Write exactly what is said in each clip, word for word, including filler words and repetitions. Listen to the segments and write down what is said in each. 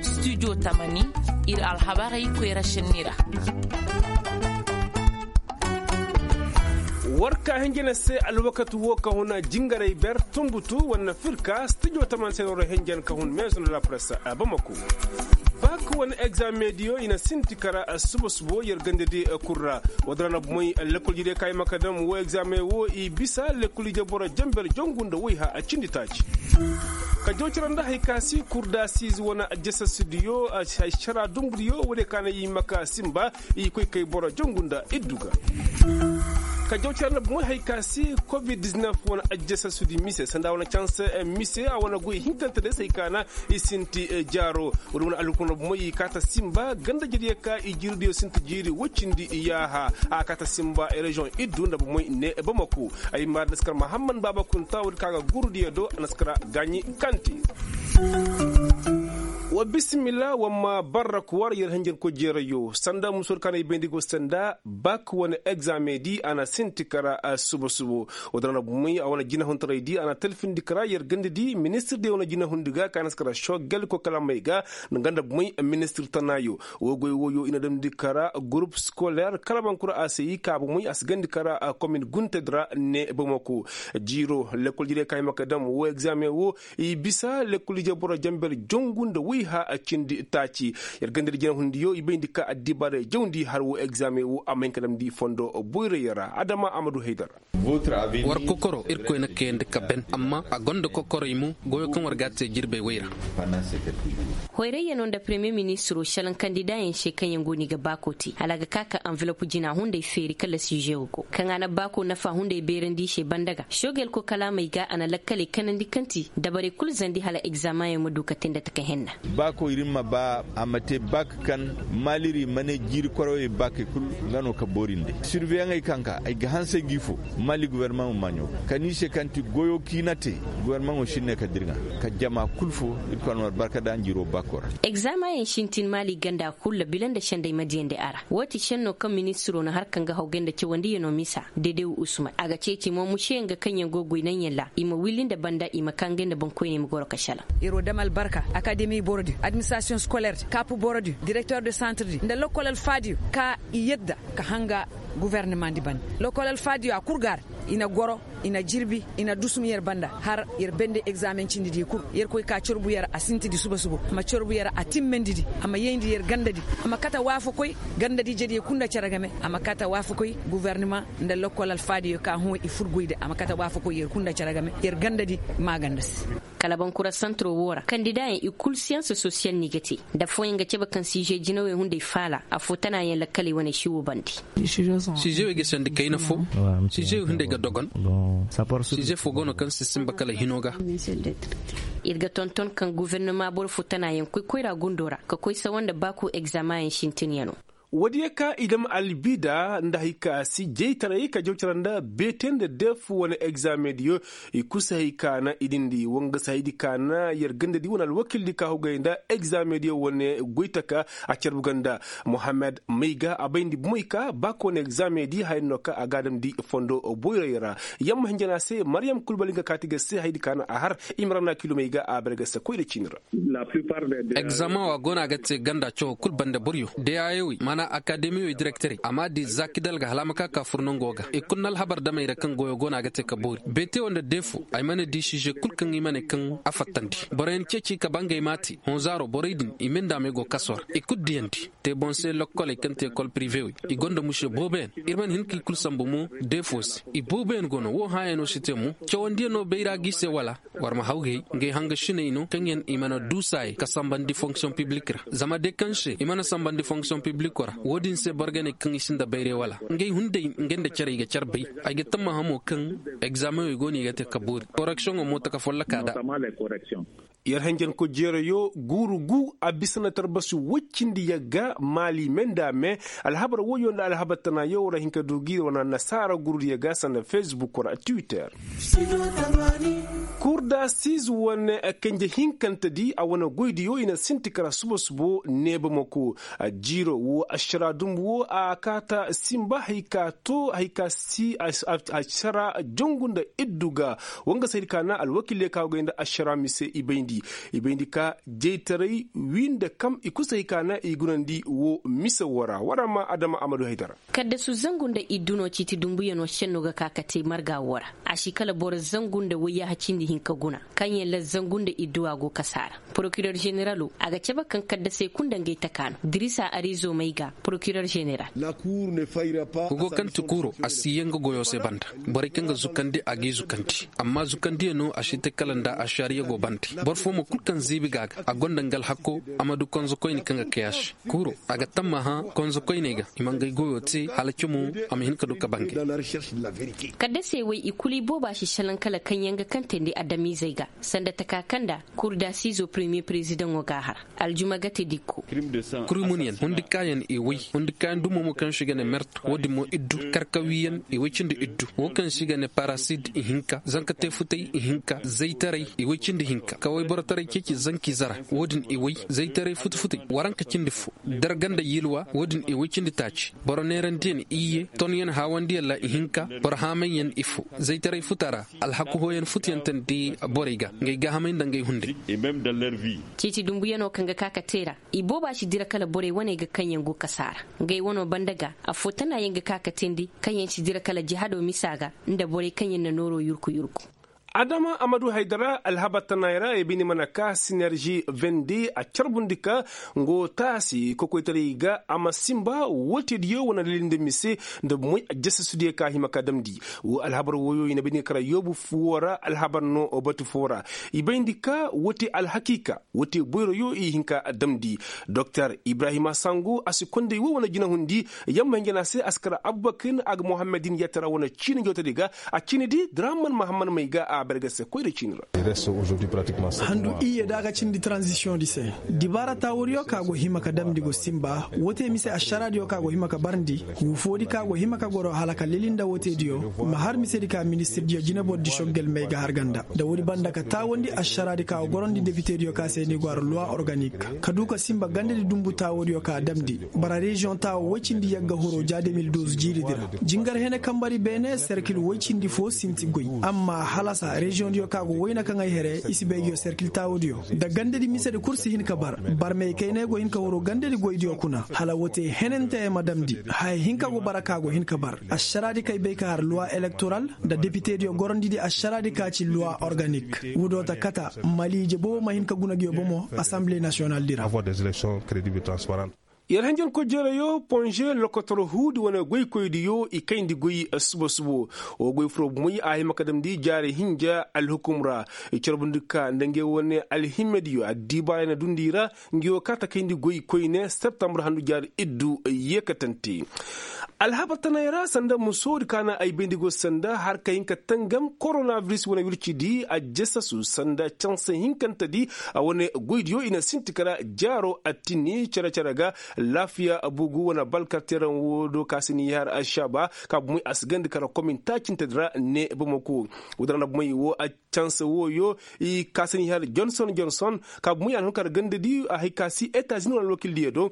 Studio tamani, ir alhabarey koyra šenni ra. War ka hinjina se alwakati wo ka hun jingaray ber tumbutu wane firka studio tamani se noro hinjina ka hun meezo nda la presse a bamako. Bak wane egzamediyo i na sinti kara suba subo yer gandadi kul ra. Wada ra na bumey lekkol jire ka i ma ka dam wo egzame wo i bisa lekkol ije boro jamber jongu nda woy ha a cindi taaci. Ka jawcara nda hari ka si kurdasiize wane ajjasasidiyo, a si hay cara dumbudiyo woodiyo ka na i ma ka simba i koy kay boro jongu nda iddu ga. Ka jawcara nda bumey hari ka si covid diznef wane ajjasasidi mise sanda wane canse mise a wane goy hinkante day se hari ka na i sinti jaaro. Woodiyo wane alhukumo nda bumey i kaata simba ganda jiriyo ka i jiiridiyo sinti jiiri woy cindi yaaha a kaata simba reziyoŋ iddu nda bumey ne bamako. Ay ma naskar mahammad baaba kunta woodi ka ga gurudiyo do naskara gaaɲi kanti. Wa bisimila wa ma barrak war yer hinjirko jeerayo sanda musoodi ka na i bayndi go sanda bak wane egzamedi a na sinti kara suba subo. Woodi ra na bumey a wane jinahuntaraydi a na talfindi kara yer gandadi ministir de wane jinahundi ga ka naskara shogel ko kalamey ga nga nda bumey ministir tanaayo. Woo goy wooyo i na damndi kara gurup skoler kala bankura a se i ka bumey a si gandi kara komin guntedi ra ne bamako. Jiiro lekkol jirey ka hima ka dam woo egzaameŋ woo i bisa lekkol ije boro jamber jongu nda woy ha cindi taaci. Yer gandadi jinahundiyo i bayndi ka addibaarey jawndi har woo egzaameŋ woo a ma hin ka damndi fondo boyroyoo ra adama amadu haydar. War kokoro irkoy na kayandi ka ben amma a gonda kokoroy mo goyo kaŋ war ga a te jirbey wey ra. Hoyrayyano nda premiyer ministiro šelaŋ kandidaayaŋ se kaŋ yaŋ go no i ga baako te hala a ga ka ka anvilop jina hunday feeri kala siže wo go kaŋ a na baako nafa hunday beerandi i se banda ga sogel ko kalaamey ga a na lakkaley kanandi kaŋ ti dabarey kulu zandi hala egzamayaŋ ma du ka te nda taka henna. Baako ir ma ba a ma te baak kaŋ maaliri ma ne jiiri koroyey baakey kulu nga no ka boori nda ay sirveyaŋey kaŋ ka ay ga hanse gi fo. Maali guvernaman ma ɲoo ka ni se kaŋ ti goyo kaŋ i na te. Guvernaman wo si ne ka dirŋa ka jama kulu fo. Irkoy na war barka da njiro baako ra. Egzamayaŋ sintin maali ganda kulu ra bila nda sendey ma diyandi a ra. Woo ti senno kaŋ ministiro na har kaŋ ga hawgay nda cawandiyano misa dedew usman a ga ceeci mo museyaŋ ga kaŋyaŋ go goy naŋyaŋ ra i ma willi nda banda i ma kaa ngey nda boŋkoyney ma goro ka salaŋ. Yer wo dam albarka akademi borodi administrasiyoŋ skoler kaapu borodi direkter de santredi nda lokkol alfaadiyo ka i yadda ka hanga guvernemandi banda lokkol alfaadiyo a kul ga a ra. I na goro i na jirbi i na dusum yer banda har yer bende egzamen cindidi kul yer koy ka corbu yer a sintidi suba suba a ma corbu yer a timmendidi a ma yayndi yer gandadi a ma kate waafakoy gandadi ijediyo kul nda cere game a ma kate waafakoy guverneman nda lokkol alfaadiyo ka hõ i fur goydi a ma kate waafakoy yer kul nda cere game yer gandadi maaganda se. Kala bankura santiro woo ra kandidaayaŋ i kul siyans sosiyal no i ga te nda affooyaŋ ga cabe kaŋ siije jinawey hunday faala affoo tanaayaŋ lakkaley wane si woo bande. Siizewey ga sandi kayna fo. Siizewey hunday ga dogon. Siize fo go no kaŋ si sinba kala hino ga. Ir ga tonton kaŋ gofornama boro fo tanaayaŋ koy koyra gundo ra ka koy sawa nda baako egzamayaŋ sintinyanoo. Woodiyo ka i dam albida nda hay ka si jaytaray ka jaw cara nda beete nda deef wane egzamediyo. I kul si hay ka na i dindi wanga si haydi ka na yer gandadi wane alwakildi ka hugay nda egzamediyo wane goytaka a carbu ganda. Mohammed mayga a bayndi bumey ka ba ka wane egzamedi haya no ka a ga a damndi fondo boyroyoo ra. Yamma hinjana se maryam kulbali nga kaati ga se haydi ka na a har. Imrana kilomey ga a bare ga se koyra ciini ra. Egzamaŋ wa go no a ga te ganda cawo kul banda boryo deyaayowey maana akademiyowey direkterey a m'a di zaakidal ga hala a ma ka ka fur nango ga i kul na alhabar damey ra kaŋ goyo go no a ga te ka boori beetewo nda deefo ay mana di size kul kaŋ i ma ne kaŋ a fattandi. Boroyaŋ ceeci ka ba ngey m'a te hõ zaaro borey din i mindaamey go kaso ra i kul diyandi. Te boŋ se lokkoley kaŋ te ekol privewey i gonda muse booboyaŋ. Ir mana hin ka i kul sambu mo deefo se i booboyaŋ go no wo hãayano si te mo cawandiyano bayra g'i se wala? War ma hawgay ngey hangasiney no kaŋ yaŋ i mana du saayey ka sambandi fonksiyoŋ piblik ra zama day kaŋ se i mana sambandi fonksiyoŋ pibliko ra wo-din se boro ga ne kaŋ i sinda bayray wala ngey hunday ngey nda care i ga care bay. Ay ga tammaha mo kaŋ egzaameŋey go no i ga te ka boori koreksiyoŋo mo taka folloka nda. Yer hanjanko jeerayo guuru gu a bisa na tarbasi woy cindi yagga maali me nda me. Alhabar woyo nda alhabar tana yaw ra hin ka du gi wane nasaara gurudiyo ga sanda fesbuk ra twitter. Kurda siiz wane kanje hinkante di a wane goydiyo i na sinti kara suba subo neeba mako. Jiiro wo ašara dumbu wo a kaata simba hari ka to hari ka si ašara jongu nda iddu ga. Wanga se hari ka na alwakiley ka go ga ay nda ašara mise i bay. I bayndi ka jaytaray wii nda kam i kul si hay ka na i gunandi woo mise woo ra war a ma adama amadu haydara. Kaddasu zangu nda iddu no ciiti dumbuyanoo šennoo ga ka ka te marga woo ra. A si kala boro zangu nda wayyaaha cindi hinka guna kaŋyaŋ ra zangu nda iddu a go kasa ra. Porokirer ženeraloo a ga cabe kaŋ kaddasey kul nda ngey taka no dirisa arizo may ga porokirer ženeral. Hugo kaŋ ti kuuro a si yee nga goyoo se banda. Borey kaŋ ga zukandi a g'i zukandi. Amma zukandiyanoo a si te kala nda ašariya go banda. Boro foo mo kul kaŋ ziibi ga a ga a gonda nga alhakoo a ma du konzokoyne kaŋ ga kay a se. Kuuro a ga tammaha konzokoyney ga i ma ngey goyoo te hala cimo a ma hin ka du ka bangay. Kaddasey wey i kul i booba si šelaŋ kala kaŋyaŋ ga kantandi adamizey ga sanda taka kaŋ nda kurdasiizoo peremiye perezidaŋoo g'a har. Aljuma gate dikko. Kurmunyaŋ hundikaayaŋ i way. Hundikaayaŋ dumo mo kaŋ se i ga ne mert wo-din mo iddu. Karkawiyaŋ i way cindi iddu. Wo kaŋ se i ga ne parasid ihinka zanka teefutay ihinka zaytaray i way cindi hinka kaway borotaray ceeci zanki zara. Wo-din i way zaytaray futufutay waranka cindi fo. Darga nda yilwa wo-din i way cindi taaci. Boro neerandiyaŋ iyye tonyaŋ haawandiyaŋ ra ihinka. Boro haamayyaŋ ifo zaytaray futa ra. Alhaku hooyaŋ futuyantandi borey ga ngey gaahamay nda ngey hunday. Ciiti dumbuyanoo kaŋ ga ka ka te ra. I booba si dira kala borey waney ga kaŋyaŋ go kasa ra. Ngey wanoo banda ga affoo tanaayaŋ ga ka ka teendi kaŋyaŋ si dira kala jihadoo misa ga nda borey kaŋyaŋ na nooroo yurku yurku. Adama amadu haydara alhabar tanaayoo ra ay bine mana ka sinerži vende a carbundi ka nga wo taasi kokoytaray ga a ma sinba woo teediyo wane lilindi mise nda moy a jasasudiyo ka a hima ka damndi. Woo alhabar wooyo i na bay ni ga kara yoobu foo ra alhabar no batu foo ra. I bay ndi ka woo te alhakiika woo te boyroyo i hin ka damndi. Doktor ibrahima sango a si konday woo wane jinahundi. Yamma hinja na a se a si kara abubakar a ga muhammadin yattara wane ciini njootadi ga. A ciini di draman muhammad may ga a berge se koyra ciini ra. Handu iyye da a ga cindi tranzisiyoŋ di se. Dibaara taawadiyo ka go hima ka damndi go sinba woo te mise ašaraadiyo ka go hima ka barndi. Huufoodi ka go hima ka goro hala ka lili nda woo te diyo ma har misedi ka ministirdiyo jineboro di soggel may ga har ganda nda woodi banda ka taawandi ašaraadi ka go gorondi depitediyo ka se ni go har luwa organik. Ka du ka sinba gandadi dunbu taawadiyo ka damndi. Bara reziyoŋ taawo woy cindi yagga horo ja de mil duuz jiiridi ra. Jingar hene kambari beene serkil woy cindi foo sinti goy. Amma halasa reziyoŋdiyo ka go wayna kaŋ ay here i si bay nguyo serkil taawadiyo nda gandadi misedi kul si hin ka bar. Barmey kayney go hin ka huru gandadi goydiyo kuna hala woo te henanteyaŋ ma damndi. Haya hinka go bara ka go hin ka bar. Ašaraadi kay bay ka har luwa elektoral nda depitediyo gorondidi ašaraadi ka ci luwa organik. Wudoo ta kata maliije boobo ma hin ka guna nguyo bomo asanbile nasiyonaldi ra. Yer hanjankoy jereyo ponže lokotor huudi wane goykoydiyo i kayndi goy suba-subo. Woo goy furoo bomoy a hima ka damndi jaari hinja alhukum ra. I carbundi ka nda ngey wane alhimmediyo addiibaaray na dundi i ra. Ngey woo ka ta kayndi goy koyne septambur handu jaari iddu yeekatante. Alhabar tanay ra sanda musoodi ka na ay bayndi go sanda har ka hin ka tangam koronabiris wane wircidi a jesasu sanda canse hinkantedi. A wane goydiyo i na sinti kara jaaro attini cere-cere ga. Laafiya bugu wane balkarteeraŋ woo do ka si ni har ašaba ka bumey a si gandi kara komin taacintedi ra ne bamako. Woo da ra na bumey woo a canse wooyo i ka si ni har jonson jonson ka bumey a na hun kara gandadi a hay ka si etazini wane alwakildiyo do.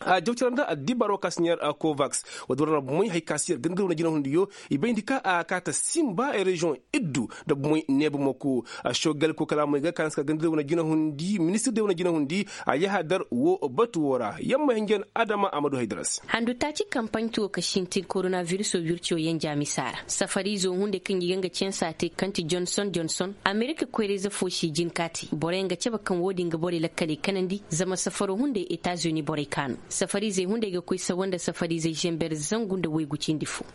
A jawcara nda addibaaroo ka si ni har kovaks. Woo da ra na bumey hay ka si yer gandadi wane jinahundiyo i bayndi ka a ka ta sinba reziyoŋ iddu nda bumey ne bamako. Ašogal ko kalaamey ga ka na si ka gandadi wane jinahundi ministir de wane jinahundi a yahadar woo batu woo ra yamma hinjan adama amadu haydara se. Handu taaci kampaɲ tuwo ka sintin koronavirisoo wircoo yenja misa ra safariizoo hunday kaŋ i ga nga cansa te kaŋ ti jonson jonson amerika koyra-ize foo si jin ka te boroyaŋ ga cabe kaŋ woo din ga borey lakkaley kanandi zama safaroo hunday etazini borey ka no. Safariizey hunday ga koy sawa nda safariizey zenber zangu nda waygu cindi foo.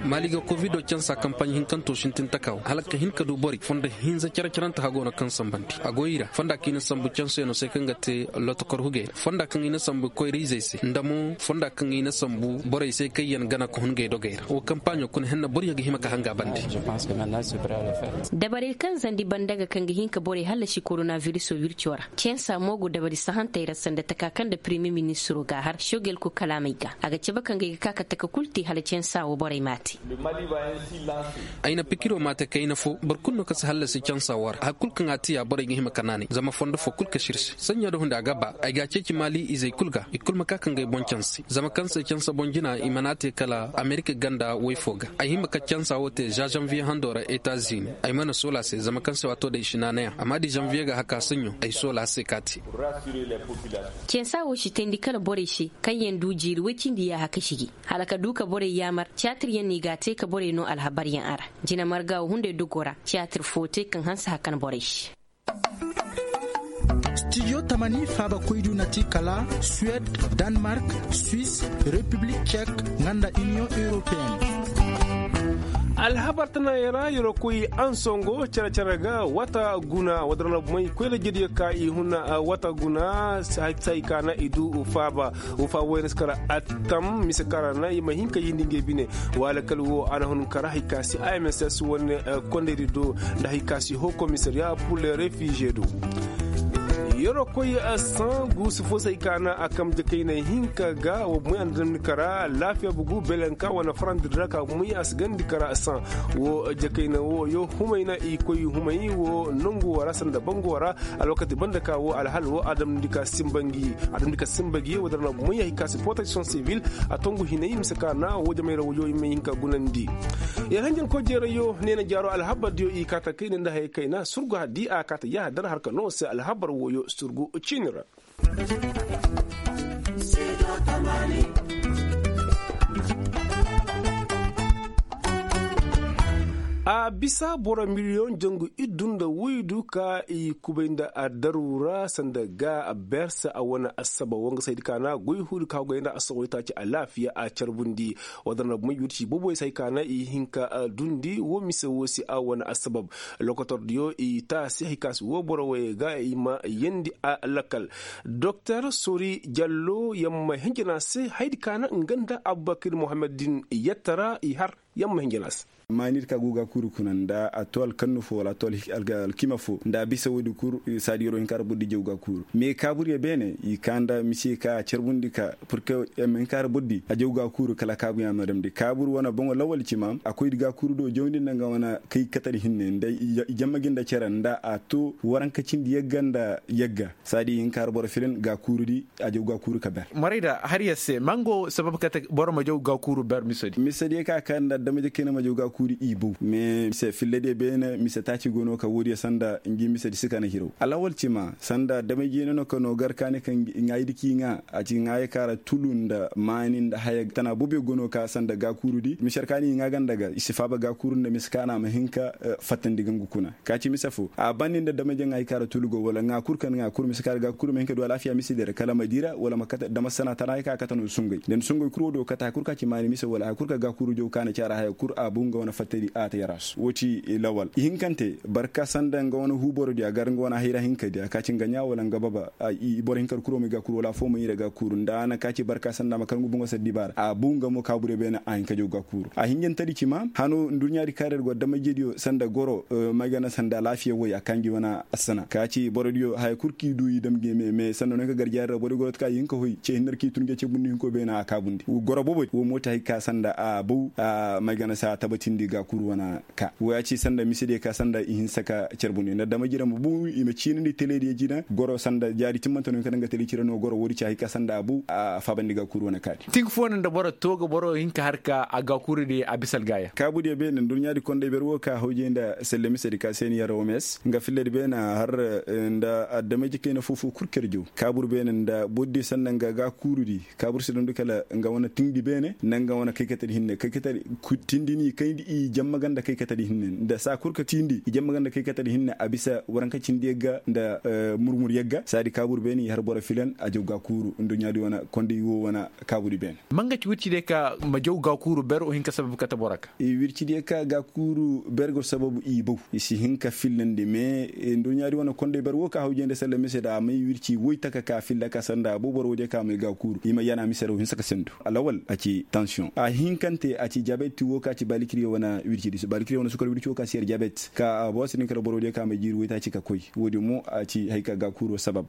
Maali ga kovido cansa kampaɲ hinkantoo sintin taka wo hala ka hin ka du borey fondo hinza care-carante hagoo no kaŋ sambandi a go i ra fonda kaŋ i na sambu canseyaŋo se kaŋ ga te lotokor hugey ra fonda kaŋ i na sambu koyra-izey se nda mo fonda kaŋ i na sambu borey se kaŋyaŋ gana ka hun ngey dogey ra woo kampaɲo kuna henna boroyaŋ ga hima ka hanga bande. Dabarey kaŋ zandi banda ga kaŋ ga hin ka borey hallasi koronavirisoo wircoo ra cansa mo go dabari sahantey ra sanda taka kaŋ nda Premye ministiroo ga a har shogel kul kalaamey ga a ga cabe kaŋ ga ay ga ka ka taka kul te hala cansa woo borey m'a te. Ay na pikiroo m'a te kayna foo boro kul no kaŋ si hallasi cansa woo ra hari kul kaŋ a te ya borey ga hima ka naanay zama fondo foo kul ka sirse saɲɲa da hundi a ga ba ay ga a ceeci maali izey kul ga i kul ma ka ka ngey boŋ canse zama kaŋ se cansa boŋ jina i mana te kala amerika ganda woy foo ga. Ay hima ka cansa woo te za zanviye handoo ra etazini ay mana soola a se zama kaŋ se waatoo da i si naanay a amma da i zanviye ga haka saɲɲo ay soola a se ka te. Cansa woo si teendi kala borey se kaŋ yaŋ du jiiri woy cindi yaaha ka sigi hala ka du ka borey yaamar tiyaatir yaŋ no i g'a te ka borey noo alhabar yaŋ a ra. Jina marga woo hunday dogoo ra tiyaatir foo te kaŋ hanse hakan borey se. Stijo tamani faabakoydu na ti kala suwed, danmark, swis, repiblik cek, nga nda iniyoŋ europeyen. Alhabar tana yara yaro koy ansongo cere cere ga wata guna wadar na bumay koy da jediyo ka i huna wata guna. Sai ka na i du faaba wo faaba wayne si kara attam mise kara na i ma hin ka yindi ngey bine. Wala kala wo a na hun kara hay ka si a m s s wane kondaydi do nda hay ka si ho komisariya pur le refize do. Yero koy san guusu fo say ka na a kam jakayna hinka ga wa moy a na damni kara laafiya bugu belenka wane farandi ra ka moy a si gandi kara san. Wo jakayna wo yo humay na i koy humay wo nangu wara sanda bangu wara. Alwakati banda ka wo alhal wo a damni ka simbangi a damni ka simbangi wo dara na moy a hika si protection civil. A tongu hinay mise ka na wo jamay ra wo yo i may hinka gunandi. Yar hanjan ko jeera yo ne na jaaro alhabar diyo i ka ta kayna nda hay kayna surgu di a ka ta yaha dara harka no se alhabar wo yo surgu ciini ra. A bisa boro miliyoŋ jangu iddu nda woydu ka i kubay nda a daru ra sanda ga berse a wane assabab wo nga saydi ka na goy huudi ka goy nda assabab itaaci alaafiya a carbundi. Wadanda bumay wirci boboy say ka na i hinka dundi wo mise wo se a wane assabab. Lokotordiyo i taasi hay ka si wo boro woyey ga i ma yeendi a lakkal. Doktor sori jallo yamma hinjina se haydi ka na nga nda abubakir muhammad din yattara i har yamma hinjina se. Maanir ka go ga kuuru kuna nda a to alkannu fo wala a to alkima fo nda a bisa woodi kul. Saadi yoro hinka ra bordi jaw ga kuuru me kaabur ya beene i ka nda mise ka a carbundi ka purke yamma hinka ra bordi a jaw ga kuuru kala kaabu ya ma damndi kaabur wane boŋo lawal cima a koydi ga kuuru do jawndi nda nga wane kay katar hinne nda i jamma gi nda cere nda a to waranka cindi yagga nda yagga. Saadi hinka ra boro firin ga kuuru di a jaw ga kuuru ka ber. Marayda har ya se mango sabab kate boro ma jaw ga kuuru ber misedi misedi ya ka ka nda damay jekey na ma jaw ga kuuru i bow mais mise filladiyo beene mise taaci go no ka woodiyo sanda ngi misedi si ka na hiraw alawal cima sanda damay jeene no ka no gar kaani ka ŋaaydi k'i ŋaa a ci ŋaayey ka ra tulu nda maani nda haya tana booboyo go no ka sanda ga kuuru di mise har kaani i ŋaa ganda ga i si faaba ga kuuru nda mise ka na a ma hin ka fattandi gangu kuna. Ka ci mise fo a bandi nda damay jaŋ hay ka ra tulu go wala ŋaa kul ka na ŋaa kul mise ka ra ga kul ma hin ka du alaafiya mise di ra kala ma di ra wala ma kate dama sana tana hay ka kate no sungay da ni sungay kul wo do kate hay kul ka ci maani mise wala hay kul ka ga kul jaw ka na ci a ra haya kul a bu nga wane fattadi a te yarasu wo ci lawal ihinkante barka sanda nga wane huuborodiya gar nga wane hayra hinkadiya ka ci nga ɲaa wala nga baba. Boro hinka ra kul wo ma i ga kul wala afoo ma i ra ga kul nda a na ka ci barka sanda ma kar nga buŋo sara dibaara a bu nga mo kaabure beene a hin ka jaw ga kul a hinjantadi ci ma hano nduɲɲaadi kaŋ ra ir go damay jediyo sanda goro may gana sanda alaafiya woy a kaŋ gi wane assana ka ci borodiyo haya kul kaŋ i du i dam game me sanda no ka gar jaari ra borodiyo goro te kaŋ i hin ka hoy ce hinne ra kaŋ i tun ga ce bundi hinko beene a kaabundi goro boobodi wo mooti hay ka sanda a bow a may gana se a tabatindi ga kul wane ka wo ya ci sanda misediyo ka sanda i hinsa ka carbundi nda damay jediyo ma bu i ma ciinandi telediyo jina goro sanda jaari timmante no hin ka daŋ ga tele cire no goro woodi ci hay ka sanda a bow a faabandi ga kul wane ka di tinka fo no nda boro to ga boro hin ka har ka a ga kul di a bisa algaaya kaabudiyo beene nduɲɲaadi konday ber wo ka hawjey nda selle misedi ka se ni yar oms nga filladi beene a har nda adamay jikayna foo-foo kul ker jaw kaabur beene nda borodiyo sanda nga ga kuurudi kaabur si dondu kala nga wane tiŋdi beene nda nga wane kaykatadi hinne kaykatadi tindi ni kayndi i jamma ganda kaykatadi hinne nda saa kul ka tiindi i jamma ganda kaykatadi hinne a bisa waranka cindi yagga nda murmur yagga saadi kaabur beene i har boro filan a jaw ga kuuru nduɲɲaadi wane konday wo wane kaabudi beene manga ci wirci de ka ma jaw ga kuuru ber o hin ka sabab kate boro ka wirci de ka ga kuuru ber go sababu i bow i si hin ka fillandi me nduɲɲaadi wane konday ber wo ka hawjey nda salla mise da a may wirci woy taka ka filla ka sanda a bow boro woodiyo ka may ga kuuru i ma yana mise da wo hinsa ka sendu alawal a ci tansiyoŋ a hinkante a ci jabet wo ka ci balikiriyo wane wirci di balikiriyo wane sukar wirci wo ka si yar jabet ka a bowa si din kala boro woodiyo ka may jiiri woy taaci ka koy woodi mo a ci hay ka ga kuuro sabab